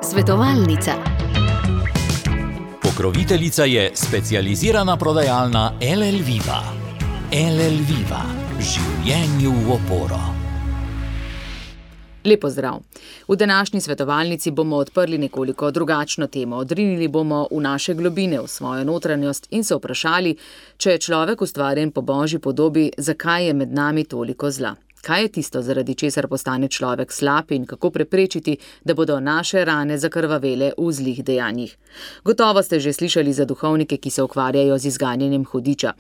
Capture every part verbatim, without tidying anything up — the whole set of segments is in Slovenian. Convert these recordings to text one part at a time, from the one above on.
Svetovalnica. Pokroviteljica je specializirana prodajalna L L Viva. L L Viva. Življenju v oporo. Lepo zdrav. V današnji svetovalnici bomo odprli nekoliko drugačno temo. Odrinili bomo v naše globine, v svojo notranjost in se vprašali, če je človek ustvarjen po Božji podobi, zakaj je med nami toliko zla. Kaj je tisto, zaradi česar postane človek slab in kako preprečiti, da bodo naše rane zakrvavele v zlih dejanjih? Gotovo ste že slišali za duhovnike, ki se ukvarjajo z izganjanjem hudiča.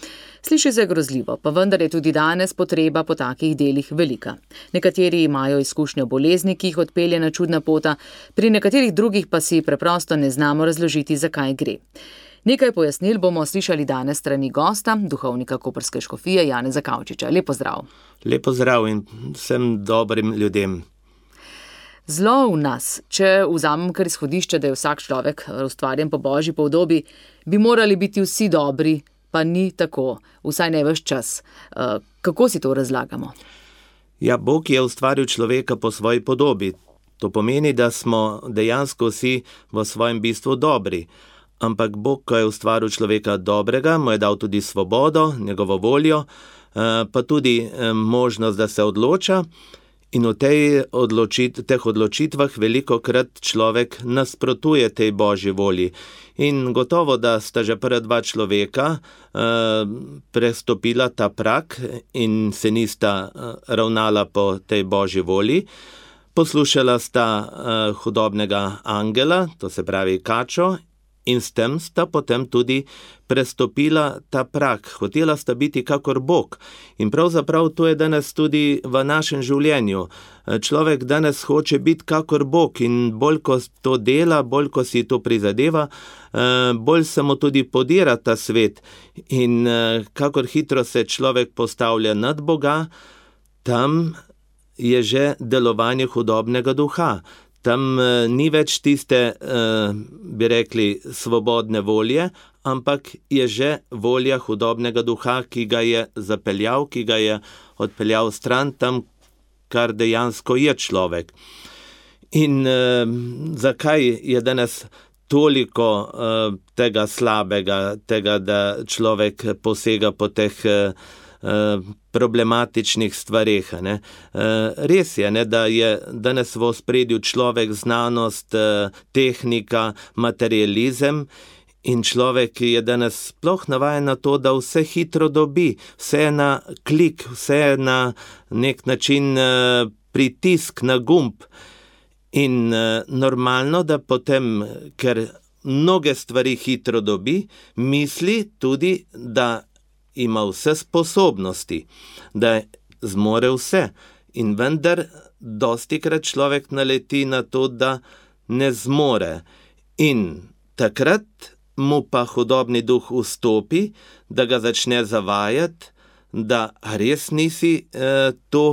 Sliši se grozljivo, pa vendar je tudi danes potreba po takih delih velika. Nekateri imajo izkušnjo bolezni, ki jih odpelje na čudna pota, pri nekaterih drugih pa si preprosto ne znamo razložiti, zakaj gre. Nekaj pojasnil bomo slišali danes strani gosta, duhovnika koprske škofije Janeza Kavčiča. Lep pozdrav. Lep pozdrav in vsem dobrim ljudem. Zlo v nas, če vzamem kar izhodišče, da je vsak človek ustvarjen po Božji podobi, bi morali biti vsi dobri, pa ni tako, vsaj ne ves čas. Kako si to razlagamo? Ja, Bog je ustvaril človeka po svoji podobi. To pomeni, da smo dejansko vsi v svojem bistvu dobri. Ampak Bog, ko je ustvaril človeka dobrega, mu je dal tudi svobodo, njegovo voljo, pa tudi možnost, da se odloča. In v tej odločit, teh odločitvah velikokrat človek nasprotuje tej Božji volji. In gotovo, da sta že prva dva človeka prestopila ta prak in se nista ravnala po tej Božji volji. Poslušala sta hudobnega angela, to se pravi kačo, in s tem sta potem tudi prestopila ta prak. Hotela sta biti kakor Bog. In pravzaprav to je danes tudi v našem življenju. Človek danes hoče biti kakor Bog in bolj ko to dela, bolj ko si to prizadeva, bolj se mu tudi podira ta svet. In kakor hitro se človek postavlja nad Boga, tam je že delovanje hudobnega duha. Tam ni več tiste, bi rekli, svobodne volje, ampak je že volja hudobnega duha, ki ga je zapeljal, ki ga je odpeljal stran tam, kar dejansko je človek. In eh, zakaj je danes toliko eh, tega slabega, tega, da človek posega po teh eh, problematičnih stvareh. Ne? Res je, ne, da je danes v ospredju človek, znanost, tehnika, materializem in človek je danes sploh navajen na to, da vse hitro dobi, vse na klik, vse na nek način pritisk na gumb. In normalno, da potem, ker mnoge stvari hitro dobi, misli tudi, da ima vse sposobnosti, da zmore vse. In vendar dostikrat človek naleti na to, da ne zmore. In takrat mu pa hudobni duh vstopi, da ga začne zavajati, da res nisi eh, to,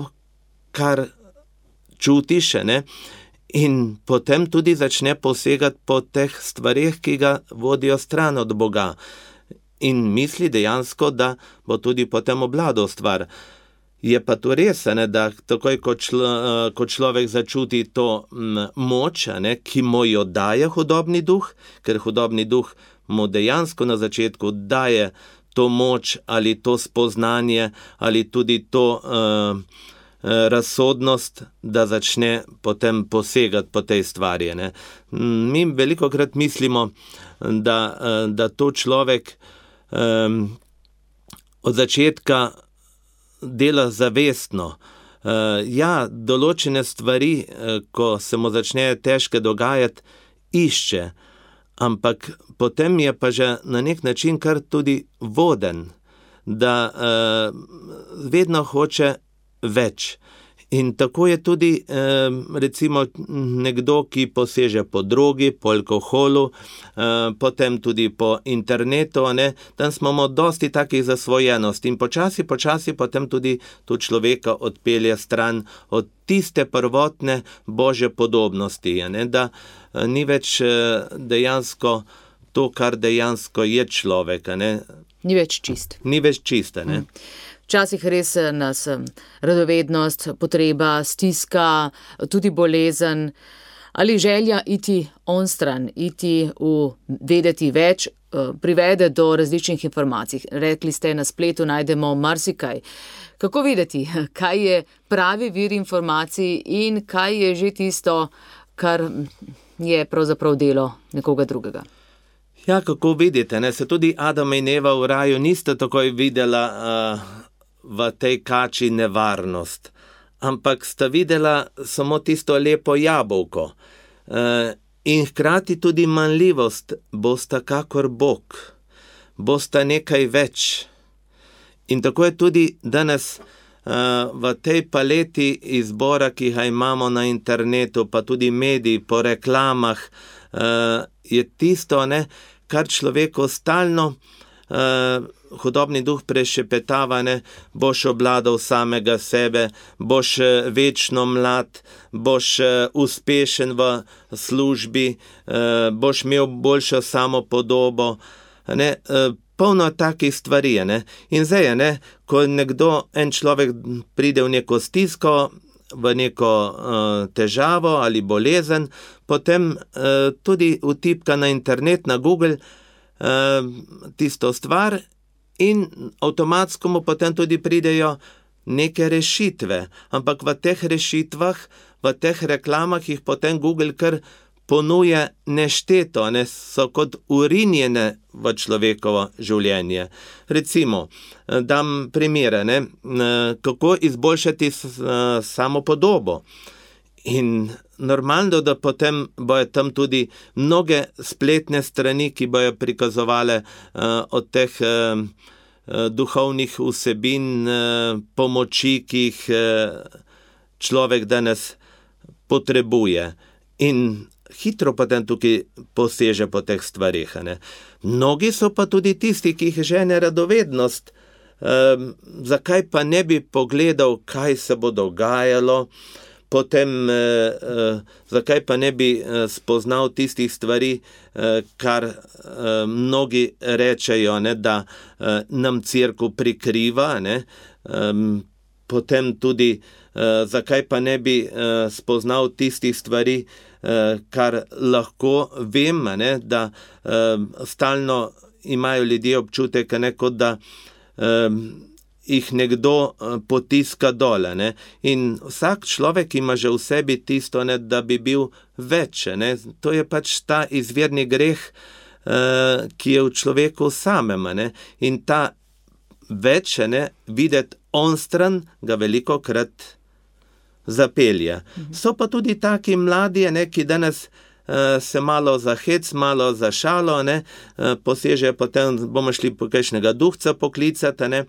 kar čutiš, ne? In potem tudi začne posegati po teh stvareh, ki ga vodijo stran od Boga. In misli dejansko, da bo tudi potem obladal stvar. Je pa to res, ne, da takoj, ko, člo, ko človek začuti to m, moč, ne, ki mu jo daje hudobni duh, ker hudobni duh mu dejansko na začetku daje to moč ali to spoznanje ali tudi to uh, razsodnost, da začne potem posegati po tej stvari. Ne. Mi velikokrat mislimo, da, da to človek Um, od začetka dela zavestno. Uh, ja, določene stvari, uh, ko se mu začne težke dogajati, išče, ampak potem je pa že na nek način kar tudi voden, da uh, vedno hoče več. In tako je tudi eh, recimo nekdo, ki poseže po drogi, po alkoholu, eh, potem tudi po internetu, ne? Tam smo imamo dosti takih zasvojenosti in počasi, počasi potem tudi tu človeka odpelje stran od tiste prvotne Božje podobnosti, ne? Da eh, ni več eh, dejansko to, kar dejansko je človek. Ne? Ni več čist. Ni več čiste, ne? Hmm. Včasih res nas radovednost, potreba, stiska, tudi bolezen ali želja iti onstran, iti v vedeti več, privede do različnih informacij. Rekli ste, na spletu najdemo marsikaj. Kako videti, kaj je pravi vir informacij in kaj je že tisto, kar je pravzaprav delo nekoga drugega? Ja, kako vidite, ne? Se tudi Adam in Eva v raju nista takoj videla uh, v tej kači nevarnost, ampak sta videla samo tisto lepo jabolko. Uh, in hkrati tudi manjljivost, bosta kakor Bog, bosta nekaj več. In tako je tudi danes uh, v tej paleti izbora, ki ga imamo na internetu, pa tudi mediji, po reklamah, uh, je tisto, ne, kar človeku stalno uh, hudobni duh prešepetava, ne, boš obladal samega sebe, boš večno mlad, boš uh, uspešen v službi, uh, boš imel boljšo samopodobo, ne, uh, polno takih stvari, ne. In zdaj, ne, ko nekdo, en človek pride v neko stisko, v neko uh, težavo ali bolezen, potem uh, tudi vtipka na internet, na Google uh, tisto stvar in avtomatsko mu potem tudi pridejo neke rešitve. Ampak v teh rešitvah, v teh reklamah jih potem Google kar ponuje nešteto, ne, so kot urinjene v človekovo življenje. Recimo, dam primere, ne, kako izboljšati samopodobo. In normalno, da potem bojo tam tudi mnoge spletne strani, ki bojo prikazovale uh, od teh uh, duhovnih vsebin, uh, pomoči, ki jih uh, človek danes potrebuje. In hitro potem tukaj poseže po teh stvarih. Ne. Mnogi so pa tudi tisti, ki jih žene radovednost. Um, zakaj pa ne bi pogledal, kaj se bo dogajalo, potem uh, uh, zakaj pa ne bi uh, spoznal tistih stvari, uh, kar uh, mnogi rečejo, ne, da uh, nam cerkev prikriva, ne. Um, potem tudi uh, zakaj pa ne bi uh, spoznal tistih stvari, uh, kar lahko vem, ne, da uh, stalno imajo ljudje občutek, ne, kot da um, jih nekdo potiska dole, ne. In vsak človek ima že v sebi tisto, ne, da bi bil več, ne. To je pač ta izvirni greh, uh, ki je v človeku samem, ne. In ta več, ne, videti onstran, ga veliko krat zapelje. Mhm. So pa tudi taki mladi, ne, ki danes uh, se malo za hec, malo za šalo, ne, uh, posežejo potem, bomo šli po kakšnega duhca poklicati, ne,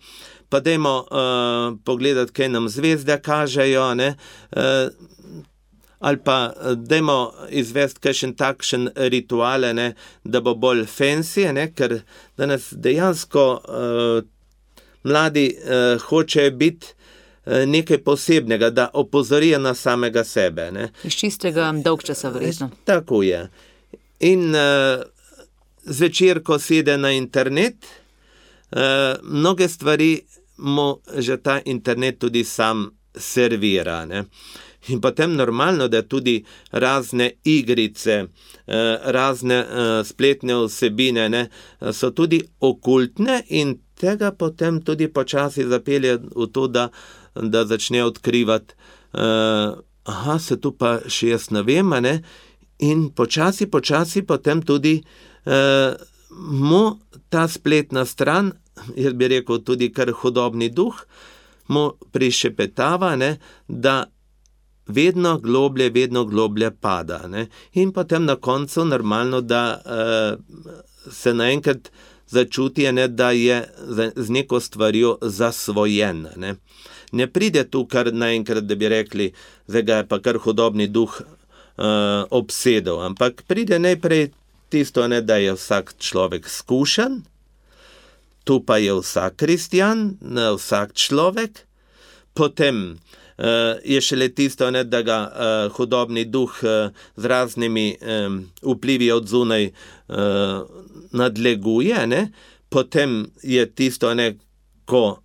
pa dajmo uh, pogledati, kaj nam zvezde kažejo, ne, uh, ali pa dajmo izvesti kakšen takšen rituale, ne, da bo bolj fancy, ne, ker danes dejansko uh, mladi uh, hočejo biti uh, nekaj posebnega, da opozorijo na samega sebe. Ne. Iz čistega dolgčasa verjetno. Tako je. In uh, zvečer, ko sede na internet, uh, mnoge stvari mu že ta internet tudi sam servira. Ne. In potem normalno, da tudi razne igrice, uh, razne uh, spletne vsebine, ne, so tudi okultne in tega potem tudi počasi zapelje v to, da, da začne odkrivati, uh, aha, se tu pa še jaz ne vem, ne? In počasi, počasi potem tudi uh, mu ta spletna stran, jaz bi rekel tudi kar hudobni duh, mu prišepetava, ne, da vedno globlje, vedno globlje pada. Ne? In potem na koncu normalno, da uh, se naenkrat začuti, ne, da je z neko stvarjo zasvojen. Ne? Ne pride tu kar naenkrat, da bi rekli, zdaj ga je pa kar hudobni duh uh, obsedel, ampak pride najprej tisto, ne, da je vsak človek skušen, tu pa je vsak kristjan, vsak človek, potem uh, je šele tisto, ne, da ga uh, hudobni duh uh, z raznimi um, vplivi od zunaj uh, nadleguje, ne, potem je tisto, ne, ko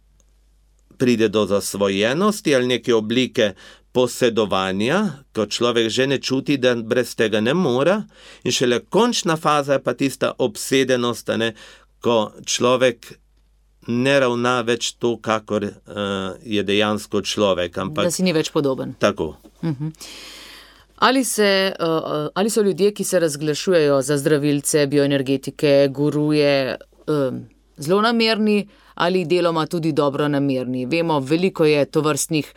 pride do zasvojenosti ali neke oblike posedovanja, ko človek že ne čuti, da brez tega ne mora, in šele končna faza je pa tista obsedenost, ne, ko človek ne ravna več to, kakor uh, je dejansko človek. Ampak, da si ni več podoben. Tako. Uh-huh. Ali, se, uh, ali so ljudje, ki se razglašujejo za zdravilce, bioenergetike, guruje, um, zelo namerni ali deloma tudi dobro namerni? Vemo, veliko je tovrstnih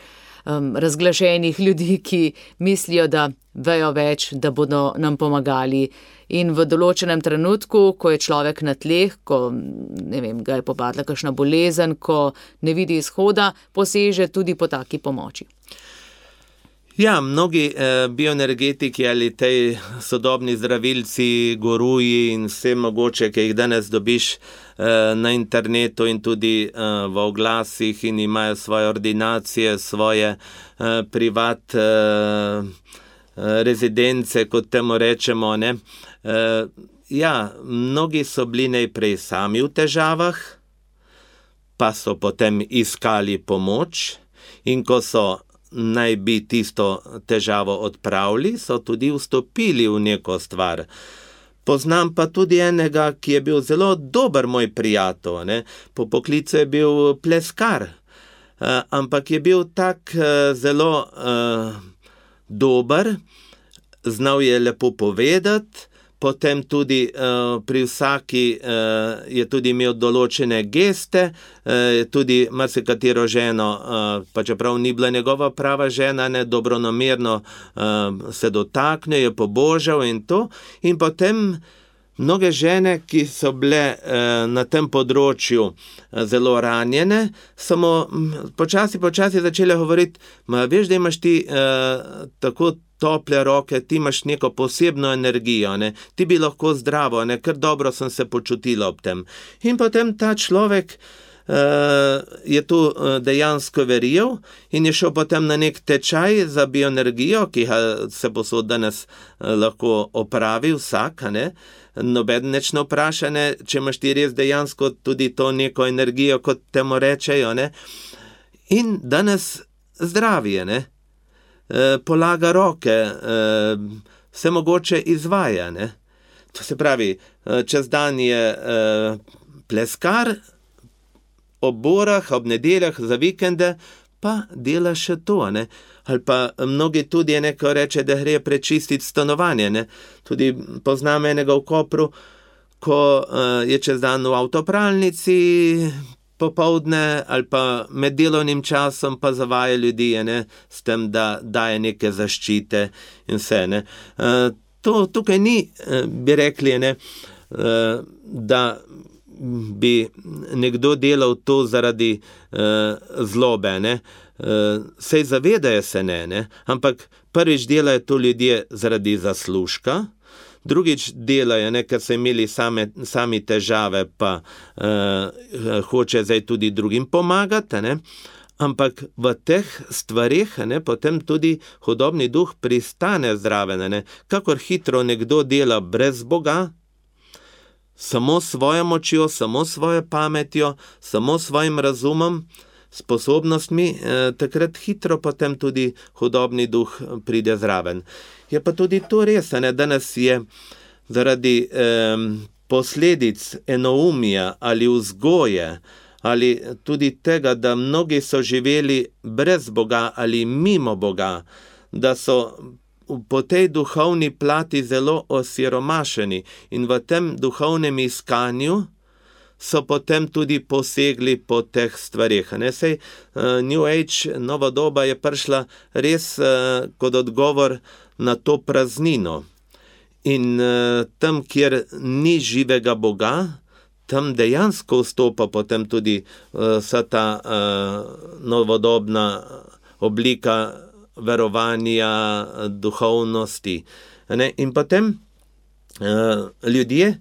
um, razglašenih ljudi, ki mislijo, da vejo več, da bodo nam pomagali. In v določenem trenutku, ko je človek na tleh, ko ne vem, ga je popadla kakšna bolezen, ko ne vidi izhoda, poseže tudi po taki pomoči. Ja, mnogi eh, bioenergetiki ali tej sodobni zdravilci, guruji in vse mogoče, ki jih danes dobiš eh, na internetu in tudi eh, v oglasih in imajo svoje ordinacije, svoje eh, privat eh, rezidence, kot temu rečemo, ne. Uh, ja, mnogi so bili najprej sami v težavah, pa so potem iskali pomoč, in ko so naj bi tisto težavo odpravili, so tudi vstopili v neko stvar. Poznam pa tudi enega, ki je bil zelo dober moj prijatelj, ne? Po poklicu je bil pleskar, uh, ampak je bil tak uh, zelo uh, dober, znal je lepo povedati. Potem tudi uh, pri vsaki uh, je tudi imel določene geste, uh, tudi marsikatero ženo, uh, pa čeprav ni bila njegova prava žena, ne, dobronamerno uh, se dotakne, je pobožal in to. In potem mnoge žene, ki so bile uh, na tem področju uh, zelo ranjene, samo počasi, počasi začele govoriti, ma veš, da imaš ti uh, tako tople roke, ti imaš neko posebno energijo, ne? Ti bi lahko zdravo, ne? Ker dobro sem se počutila ob tem. In potem ta človek uh, je tu uh, dejansko verjel in je šel potem na nek tečaj za bioenergijo, ki ga se posod danes uh, lahko opravi vsak, ne? Noben neč ne vpraša, ne? Če imaš ti res dejansko tudi to neko energijo, kot temu rečejo, ne? In danes zdravije, ne? Polaga roke, vse mogoče izvaja, ne. To se pravi, čez dan je pleskar, ob borah, ob nedeljah, za vikende, pa dela še to, ne. Ali pa mnogi tudi neko reče, da gre prečistiti stanovanje, ne. Tudi poznam enega v Kopru, ko je čez dan v avtopralnici, popoldne ali pa med delovnim časom pa zavaja ljudi, ne, s tem, da daje neke zaščite in vse, ne. Uh, to, tukaj ni, bi rekli, ne, uh, da bi nekdo delal to zaradi uh, zlobe, ne. Uh, sej zavedajo se ne, ne, ampak prvič delajo to ljudje zaradi zaslužka, drugič delajo, ne, ker so imeli same, sami težave, pa uh, hoče zdaj tudi drugim pomagati, ne, ampak v teh stvarih, ne, potem tudi hudobni duh pristane zraven, ne, kakor hitro nekdo dela brez Boga, samo svojo močjo, samo svojo pametjo, samo svojim razumom, sposobnostmi, eh, takrat hitro potem tudi hudobni duh pride zraven. Je pa tudi to res, ne, danes je zaradi eh, posledic enoumija ali vzgoje, ali tudi tega, da mnogi so živeli brez Boga ali mimo Boga, da so po tej duhovni plati zelo osiromašeni in v tem duhovnem iskanju so potem tudi posegli po teh stvarih. Ne, sej, uh, New Age, nova doba je prišla res uh, kot odgovor na to praznino. In uh, tam, kjer ni živega Boga, tam dejansko vstopa potem tudi uh, vsa ta uh, novodobna oblika verovanja, duhovnosti. Ne? In potem uh, ljudje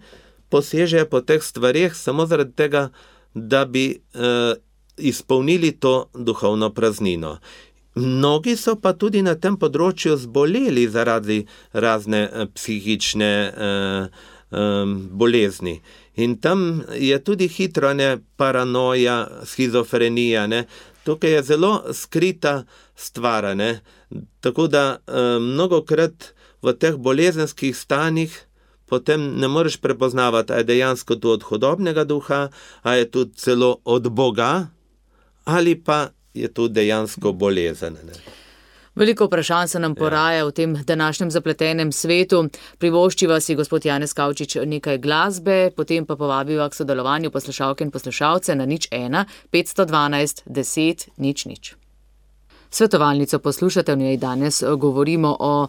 posežejo po teh stvarih samo zaradi tega, da bi uh, izpolnili to duhovno praznino. Mnogi so pa tudi na tem področju zboleli zaradi razne uh, psihične uh, um, bolezni. In tam je tudi hitro, ne, paranoja, schizofrenija, ne. tukaj je zelo skrita stvar, ne? Tako da eh, mnogokrat v teh bolezenskih stanjih potem ne moreš prepoznavati, a je dejansko to od hudobnega duha, a je to celo od Boga, ali pa je to dejansko bolezen. Ne? Veliko vprašanj se nam poraja v tem današnjem zapletenem svetu. Privoščiva si gospod Janez Kavčič nekaj glasbe, potem pa povabiva k sodelovanju poslušalke in poslušalce na nič ena petsto dvanajst deset nič nič. Svetovalnico poslušate, v njej danes govorimo o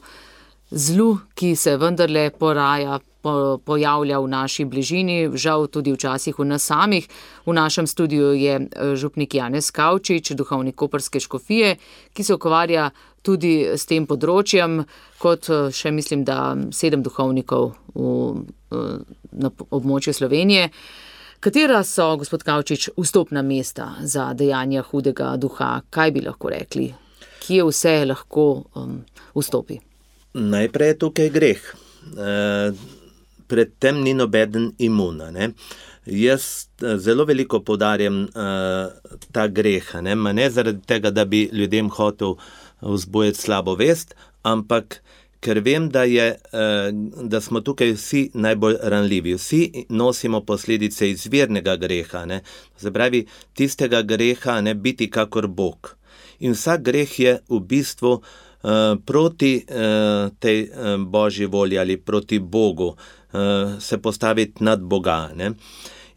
zlu, ki se vendarle poraja, po, pojavlja v naši bližini, žal tudi včasih v nas samih. V našem studiu je župnik Janez Kavčič, duhovnik koprske škofije, ki se ukvarja tudi s tem področjem, kot še mislim, da sedem duhovnikov v, na območju Slovenije. Katera so, gospod Kavčič, vstopna mesta za dejanja hudega duha? Kaj bi lahko rekli? Kje vse lahko um, vstopi? Najprej je tukaj greh. E, pred tem ni nobeden imuna. Ne? Jaz zelo veliko poudarjam e, ta greh, ne? ne zaradi tega, da bi ljudem hotel vzbujati slabo vest, ampak ker vem, da, je, e, da smo tukaj vsi najbolj ranljivi. Vsi nosimo posledice izvirnega greha, ne? Se pravi, tistega greha, ne biti kakor Bog. In vsak greh je v bistvu Uh, proti uh, tej uh, Božji volji ali proti Bogu, uh, se postaviti nad Boga. Ne?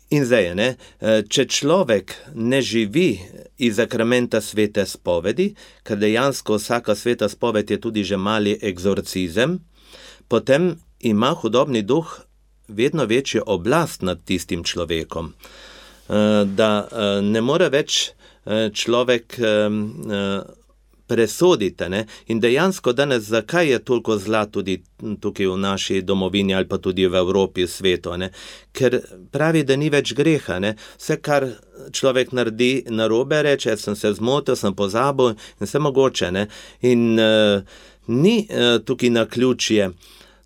In zdaj, ne, uh, če človek ne živi iz sakramenta svete spovedi, ker dejansko vsaka sveta spoved je tudi že mali egzorcizem, potem ima hudobni duh vedno večjo oblast nad tistim človekom, uh, da uh, ne more več uh, človek um, uh, presodite. Ne? In dejansko danes, zakaj je toliko zla tudi tukaj v naši domovini ali pa tudi v Evropi, v svetu? Ne? Ker pravi, da ni več greha. Ne? Vse, kar človek naredi narobe, reče, sem se zmotil, sem pozabil in vse mogoče. Ne? In uh, ni uh, tukaj naključje,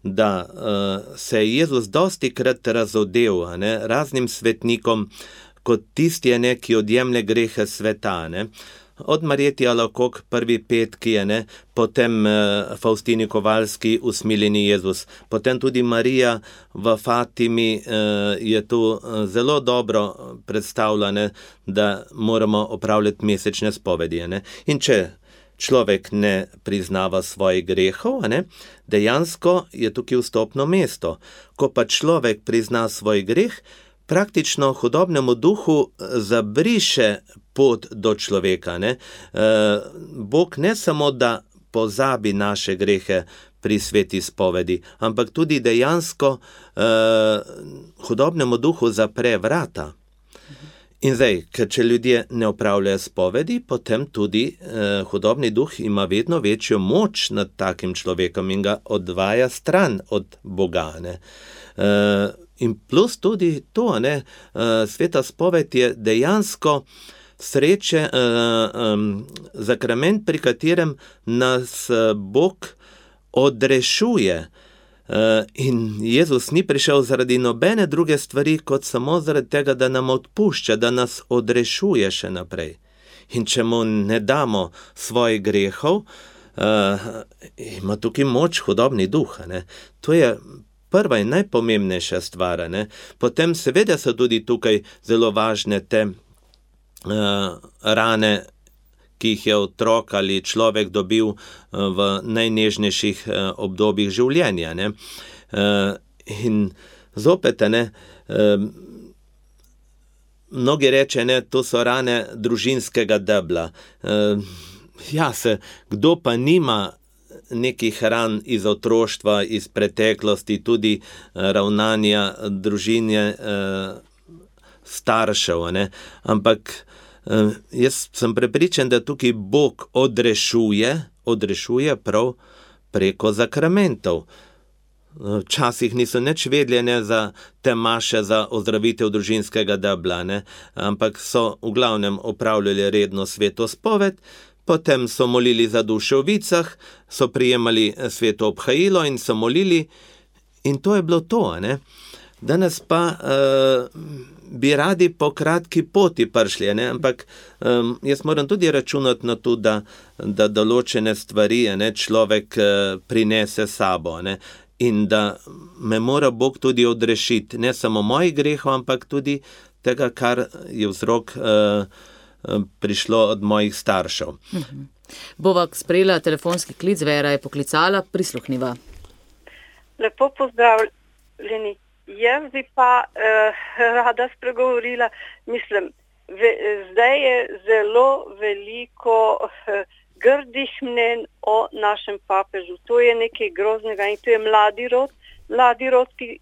da uh, se je Jezus dosti krat razodel ne? raznim svetnikom, kot tisti, ne, ki odjemlje grehe sveta. Ne? Od Marjeti Alakok, prvi petki je, ne, potem uh, Faustini Kovalski, usmiljeni Jezus, potem tudi Marija v Fatimi uh, je tu uh, zelo dobro predstavljena, da moramo opravljati mesečne spovedi. Ne. In če človek ne priznava svojih grehov, ne, dejansko je tukaj vstopno mesto. Ko pa človek prizna svoj greh, praktično hudobnemu duhu zabriše pot do človeka. Ne? E, Bog ne samo, da pozabi naše grehe pri sveti spovedi, ampak tudi dejansko e, hudobnemu duhu zapre vrata. In zdaj, ker če ljudje ne opravljajo spovedi, potem tudi e, hudobni duh ima vedno večjo moč nad takim človekom in ga odvaja stran od Boga. Ne? E, In plus tudi to, ne, sveta spoved je dejansko sreče, um, zakrament, pri katerem nas Bog odrešuje. Uh, in Jezus ni prišel zaradi nobene druge stvari, kot samo zaradi tega, da nam odpušča, da nas odrešuje še naprej. In če mu ne damo svojih grehov, uh, ima tukaj moč hudobni duh. Ne. To je prva in najpomembnejša stvar. Ne? Potem seveda so tudi tukaj zelo važne te uh, rane, ki jih je otrok ali človek dobil uh, v najnežnejših uh, obdobjih življenja. Ne? Uh, in zopet, ne, uh, mnogi reče, ne, to so rane družinskega debla. Uh, ja, se, kdo pa nima nekih ran iz otroštva, iz preteklosti, tudi ravnanja družine staršev. Ne? Ampak jaz sem prepričan, da tukaj Bog odrešuje, odrešuje prav preko zakramentov. Včasih niso nič vedeli za te maše za ozdravitev družinskega debla, ne? Ampak so v glavnem opravljali redno sveto spoved, potem so molili za duše v vicah, so prijemali sveto obhajilo in so molili in to je bilo to. Ne? Danes pa uh, bi radi po kratki poti prišli, ne? Ampak um, jaz moram tudi računati na to, da, da določene stvari ne, človek uh, prinese sabo, ne? In da me mora Bog tudi odrešiti, ne samo mojih grehov, ampak tudi tega, kar je vzrok uh, uh, prišlo od mojih staršev. Mhm. Bova sprejela telefonski klic, Vera je poklicala, prisluhniva. Lepo pozdravljeni. Jaz bi pa eh, rada spregovorila, mislim, ve, zdaj je zelo veliko eh, grdih mnen o našem papežu. To je nekaj groznega in to je mladi rod, mladi rod, ki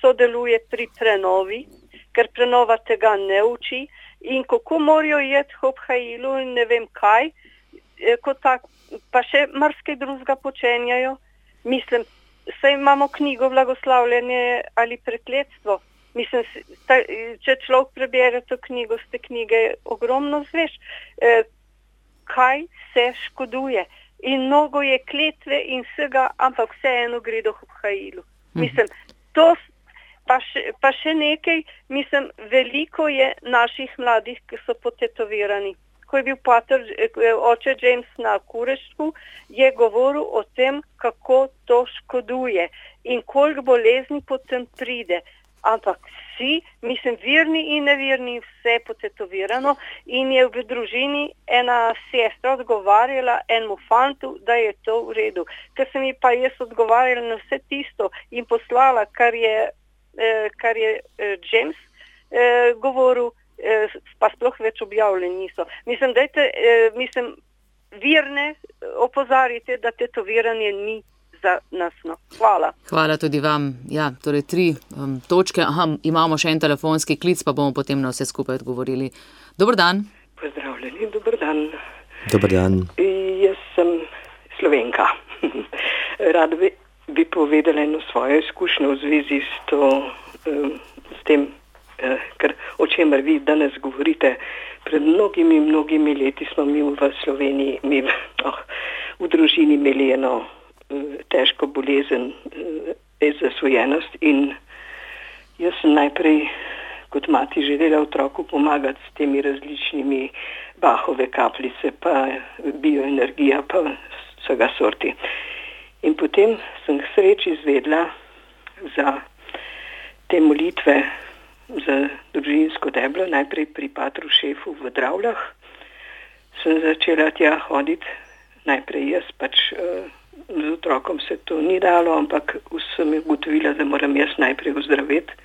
sodeluje pri prenovi, ker prenova tega ne uči in kako morajo jeti v obhajilu in ne vem kaj, eh, kot tak, pa še marsikaj drugega počenjajo. Mislim, saj imamo knjigo Blagoslavljanje ali prekletstvo. Mislim, če človek prebere to knjigo, z te knjige ogromno zveš, eh, kaj se škoduje. In mnogo je kletve in vsega, ampak vseeno gre do obhajilu. Mislim, to pa še, pa še nekaj, mislim, veliko je naših mladih, ki so potetovirani. Ko je bil pater, oče James na Kureštvu, je govoril o tem, kako to škoduje in koliko bolezni potem pride. Ampak vsi, mislim, verni in neverni, vse potetovirano in je v družini ena sestra odgovarjala enemu fantu, da je to v redu. Ker sem ji pa jaz odgovarjala na vse tisto in poslala, kar je, eh, kar je eh, James eh, govoril, pa sploh več objavljeni niso. Mislim, dajte, eh, mislim, verne opozarite, da tetoviranje ni za nas. No. Hvala. Hvala tudi vam. Ja, torej tri um, točke. Aha, imamo še en telefonski klic, pa bomo potem na vse skupaj odgovorili. Dober dan. Pozdravljeni, dober dan. Dober dan. Jaz sem Slovenka. Rada bi, bi povedala eno svojo izkušnjo v zvezi s, to, um, s tem, ker o čemer vi danes govorite. Pred mnogimi, mnogimi leti smo mi v Sloveniji, mi oh, v družini imeli eno uh, težko bolezen, uh, zasvojenost in jaz sem najprej kot mati želela otroku pomagati s temi različnimi Bachove kapljice, pa bioenergija, pa vsega sorti. In potem sem k sreči izvedla za te molitve za družinsko deblo, najprej pri patru šefu v Dravljah. Sem začela tja hoditi, najprej jaz pač uh, z otrokom se to ni dalo, ampak sem ugotovila, da moram jaz najprej ozdraveti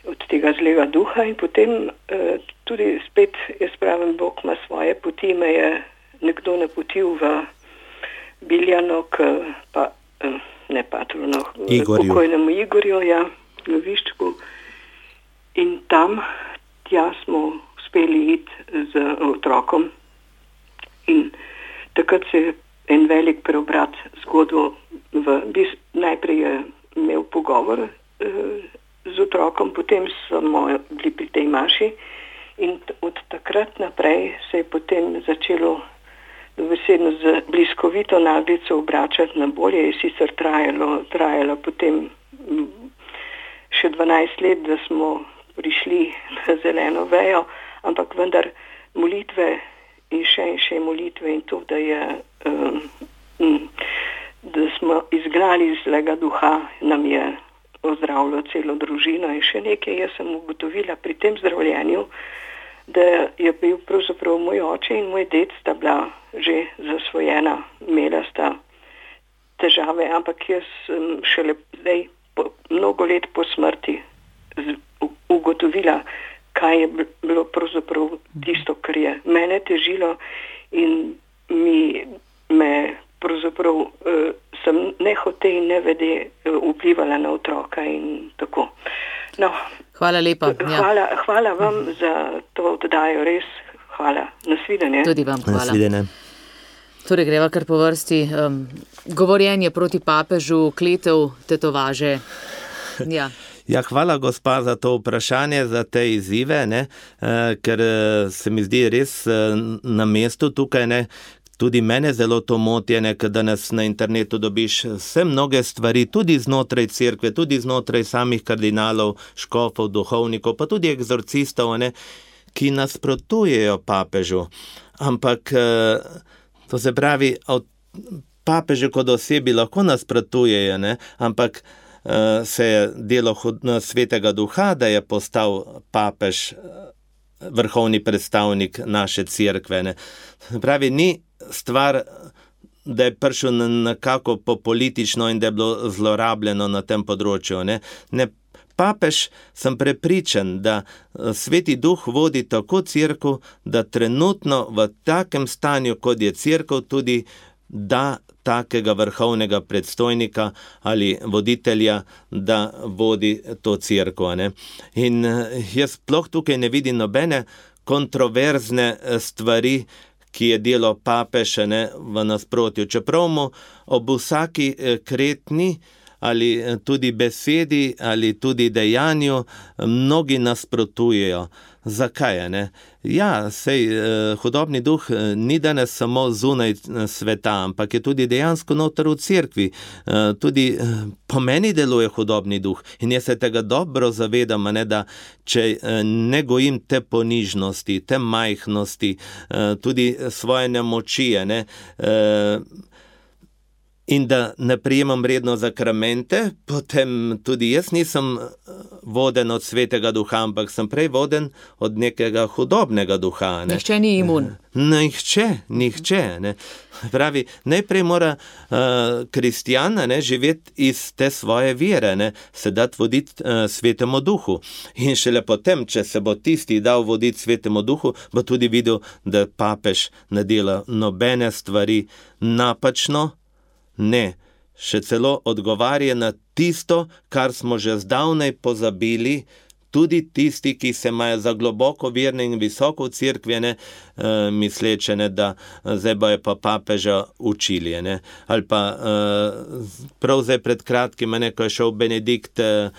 od tega zlega duha in potem uh, tudi spet, jaz pravim, Bog ima svoje poti, me je nekdo napotil v Biljano, k pa, uh, ne patrono, pokojnemu Igorju, ja, v Viščku. In tam, tja smo uspeli iti z otrokom in takrat se je en velik preobrat zgodil. V, najprej je imel pogovor eh, z otrokom, potem smo bili pri tej maši in od takrat naprej se je potem začelo dobesedno z bliskovito naglico obračati na bolje. Je sicer trajalo, trajalo potem še dvanajst let, da smo prišli na zeleno vejo, ampak vendar molitve in še in še molitve in to, da je um, da smo izgnali zlega duha, nam je ozdravilo celo družino in še nekaj. Jaz sem ugotovila pri tem zdravljenju, da je bil pravzaprav moj oče in moj ded sta bila že zasvojena, imela sta težave, ampak jaz sem šele zdaj po, mnogo let po smrti z, ugotovila, kaj je bilo pravzaprav tisto, kar je mene težilo in mi, me pravzaprav uh, sem nehote in nevede uh, vplivala na otroka in tako. No, hvala lepa. Hvala, ja. hvala vam za to oddajo, res hvala. Nasvidenje. Tudi vam hvala. Nasvidenje. Torej greva kar po vrsti. Um, govorjenje proti papežu, kletev, tetovaže. Ja. Ja, hvala gospa za to vprašanje, za te izzive, ne, e, ker se mi zdi res e, na mestu tukaj, ne, tudi mene zelo to moti, ne, kad danes na internetu dobiš vse mnoge stvari, tudi znotraj cerkve, tudi znotraj samih kardinalov, škofov, duhovnikov, pa tudi egzorcistov, ne, ki nasprotujejo papežu. Ampak to se pravi, papežu kot osebi lahko nasprotujejo, ne, ampak se je delo Svetega Duha, da je postal papež vrhovni predstavnik naše cerkve. Ne. Pravi, ni stvar, da je prišel nekako politično in da je bilo zlorabljeno na tem področju. Ne. Ne, papež, sem prepričan, da Sveti Duh vodi tako cerkev, da trenutno v takem stanju, kot je cerkev, tudi da takega vrhovnega predstojnika ali voditelja, da vodi to cerkev, ne. In jaz sploh tukaj ne vidim nobene kontroverzne stvari, ki je delo papeža, ne, v nasprotju. Čeprav mu ob vsaki kretni ali tudi besedi ali tudi dejanju mnogi nasprotujejo. Zakaj, ne? Ja, sej hudobni duh ni danes samo zunaj sveta, ampak je tudi dejansko noter v cerkvi. Tudi po meni deluje hudobni duh in jaz se tega dobro zavedam, ne, da če ne gojim te ponižnosti, te majhnosti, tudi svoje nemoči, ne, in da ne prijemam redno zakramente, potem tudi jaz nisem voden od Svetega Duha, ampak sem prej voden od nekega hudobnega duha. Ne. Nihče ni imun. Nihče, nihče. Ne. Pravi, najprej mora uh, kristjan, ne, živeti iz te svoje vere, ne, se dati voditi uh, Svetemu Duhu. In šele potem, če se bo tisti dal voditi Svetemu Duhu, bo tudi videl, da papež ne dela nobene stvari napačno, ne, še celo odgovarja na tisto, kar smo že zdavnaj pozabili, tudi tisti, ki se imajo za globoko verne in visoko v cerkvi, ne, uh, misleče, ne, da zdaj bojo pa papeža učili. Ne. Ali pa uh, prav zdaj pred kratkim, ne, ko je šel Benedikt uh,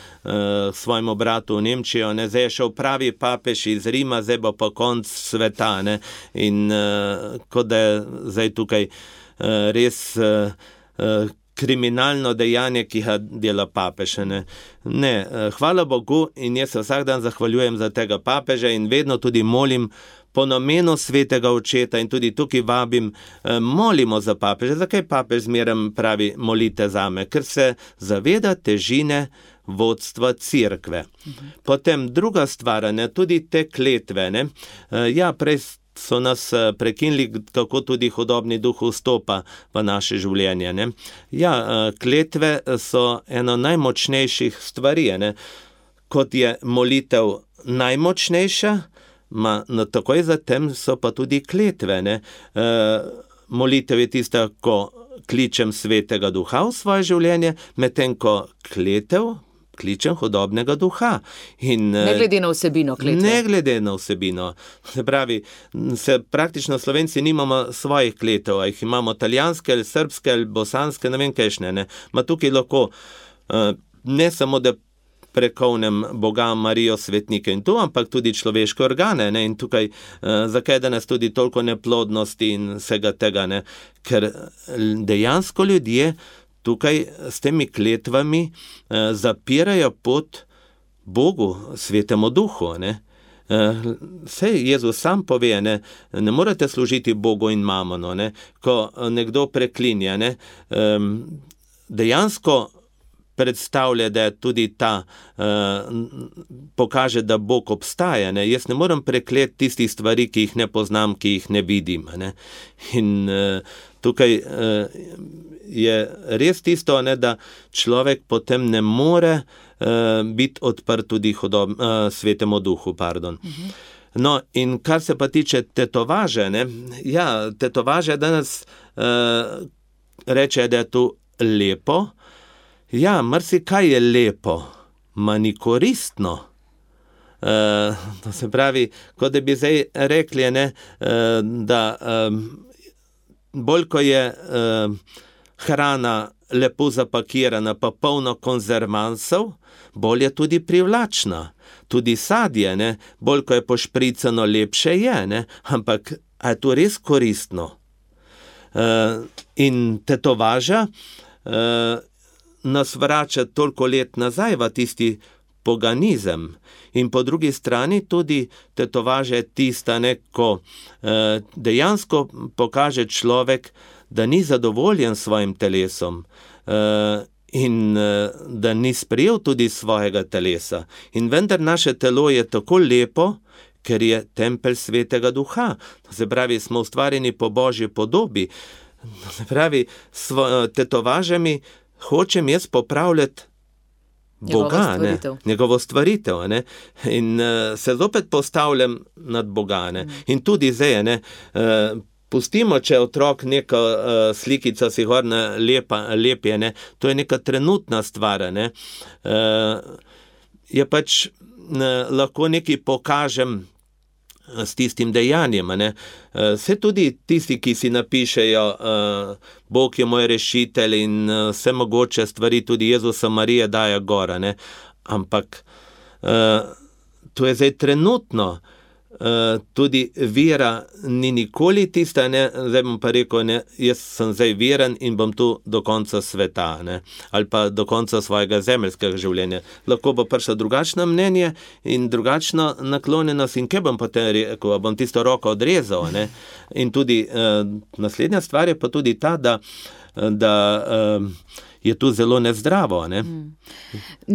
svojemu bratu v Nemčijo, ne, zdaj je šel pravi papež iz Rima, zdaj bo pa konc sveta. Ne. In uh, kot da je zdaj tukaj uh, res uh, kriminalno dejanje, ki ga dela papež. Ne. ne, hvala Bogu in jaz se vsak dan zahvaljujem za tega papeža in vedno tudi molim po namenu Svetega Očeta in tudi tukaj vabim, molimo za papeža. Zakaj papež zmeraj pravi molite zame? Ker se zaveda težine vodstva cerkve. Mhm. Potem druga stvar, ne, tudi te kletve. Ne. Ja, prej so nas prekinili, kako tudi hudobni duh vstopa v naše življenje. Ne? Ja, kletve so eno najmočnejših stvari, ne? Kot je molitev najmočnejša, ma, no, takoj zatem so pa tudi kletve. Ne? E, molitev je tista, ko kličem Svetega Duha v svoje življenje, medtem ko kletev kličem hudobnega duha. In, ne glede na vsebino kletve. Ne glede na vsebino. Se pravi, se praktično Slovenci nimamo svojih kletev, a jih imamo italijanske ali srbske ali bosanske, ne vem kajšne. Ne. Ma tukaj lahko ne samo, da prekovnem Boga, Marijo, svetnike in to, ampak tudi človeške organe. Ne. In tukaj, zakaj danes tudi toliko neplodnosti in vsega tega, ne. Ker dejansko ljudje tukaj s temi kletvami eh, zapirajo pot Bogu, Svetemu Duhu. Ne? Eh, sej Jezus sam pove, ne, ne morate služiti Bogu in mamonu. Ne? Ko nekdo preklinja, ne, eh, dejansko predstavlja, da je tudi ta, eh, pokaže, da Bog obstaja. Ne? Jaz ne morem prekleti tistih stvari, ki jih ne poznam, ki jih ne vidim. Ne? In eh, tukaj eh, je res tisto, ne, da človek potem ne more uh, biti odprt tudi hudob, uh, Svetemu Duhu. Pardon. Uh-huh. No, in kar se pa tiče tetovaže, ne, ja, tetovaže danes uh, reče, da je tu lepo. Ja, marsikaj je lepo, ma ni koristno. Uh, to se pravi, kot da bi zdaj rekli, ne, uh, da um, bolj ko je uh, hrana lepo zapakirana, pa polno konzervansov, bolj je tudi privlačna. Tudi sadje, ne, bolj ko je pošpricano, lepše je, ne, ampak a je to res koristno? In tetovaža nas vrača toliko let nazaj v tisti poganizem. In po drugi strani tudi tetovaža je tista, ne, ko dejansko pokaže človek, da ni zadovoljen s svojim telesom in da ni sprejel tudi svojega telesa. In vendar naše telo je tako lepo, ker je tempelj Svetega Duha. Se pravi, smo ustvarjeni po Božji podobi. Se pravi, s tetovažami hočem jaz popravljati Boga, ne? Njegovo stvaritev. Ne? In uh, se zopet postavljam nad Boga. Ne? Mm. In tudi zdaj, ne, uh, pustimo, če otrok neko uh, slikico si horna lepa, lepje, ne? To je neka trenutna stvar. Ne? Uh, je pač uh, lahko nekaj pokažem s tistim dejanjem. Ne? Vse tudi tisti, ki si napišejo uh, Bog je moj rešitelj in uh, vse mogoče stvari, tudi Jezusa Marije daje gora. Ne? Ampak uh, to je zdaj trenutno. Uh, tudi vera ni nikoli tista, ne? Zdaj bom pa rekel, ne? Jaz sem zdaj veren in bom tu do konca sveta, ne? Ali pa do konca svojega zemeljskega življenja. Lahko bo prišlo drugačno mnenje in drugačno naklonjenost in kaj bom potem rekel, bom tisto roko odrezal. Ne? In tudi uh, naslednja stvar je pa tudi ta, da, da uh, je tu zelo nezdravo. Ne? Mm.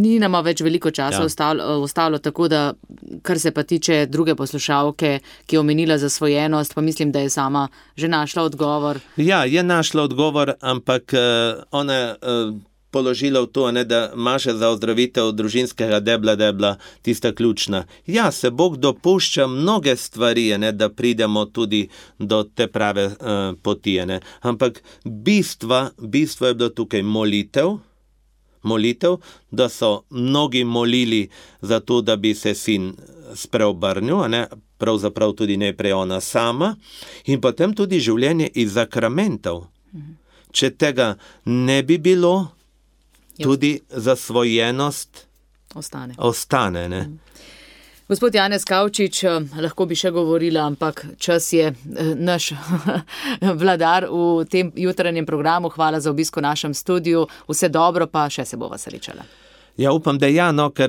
Ni nama več veliko časa ja. ostalo, ostalo, tako da, kar se pa tiče druge poslušalke, ki je omenila zasvojenost, pa mislim, da je sama že našla odgovor. Ja, je našla odgovor, ampak uh, ona je uh, položila v to, ne, da maše za ozdravitev družinskega debla, debla, tista ključna. Ja, se Bog dopušča mnoge stvari, ne, da pridemo tudi do te prave uh, poti. Ne. Ampak bistva, bistvo je bilo tukaj molitev, molitev, da so mnogi molili za to, da bi se sin spreobrnil, ne, pravzaprav tudi najprej ona sama, in potem tudi življenje iz sakramentov. Če tega ne bi bilo, tudi zasvojenost ostane. ostane ne. Gospod Janez Kavčič, lahko bi še govorila, ampak čas je naš vladar v tem jutranjem programu. Hvala za obisk v našem studiu. Vse dobro, pa še se bova srečala. Ja, upam, da ja, no, ker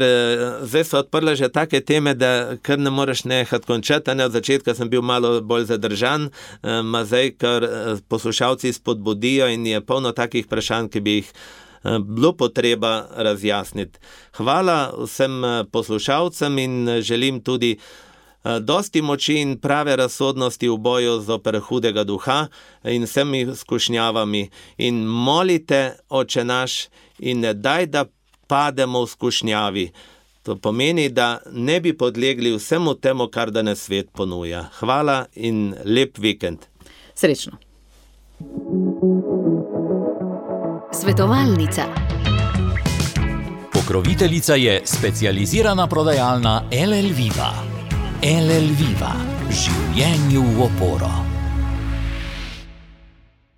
zdaj so odprle že take teme, da kar ne moreš nehati končati. Ne? Od začetka sem bil malo bolj zadržan, ma zdaj, ker poslušalci spodbudijo in je polno takih vprašanj, ki bi jih bilo potreba razjasniti. Hvala vsem poslušalcem in želim tudi dosti moči in prave razsodnosti v boju zoper hudega duha in vsemi skušnjavami. In molite, Oče naš, in ne daj, da pademo v skušnjavi. To pomeni, da ne bi podlegli vsemu temu, kar danes svet ponuja. Hvala in lep vikend. Srečno. Svetovalnica. Pokroviteljica je specializirana prodajalna L L Viva. L L Viva. Življenju v oporo.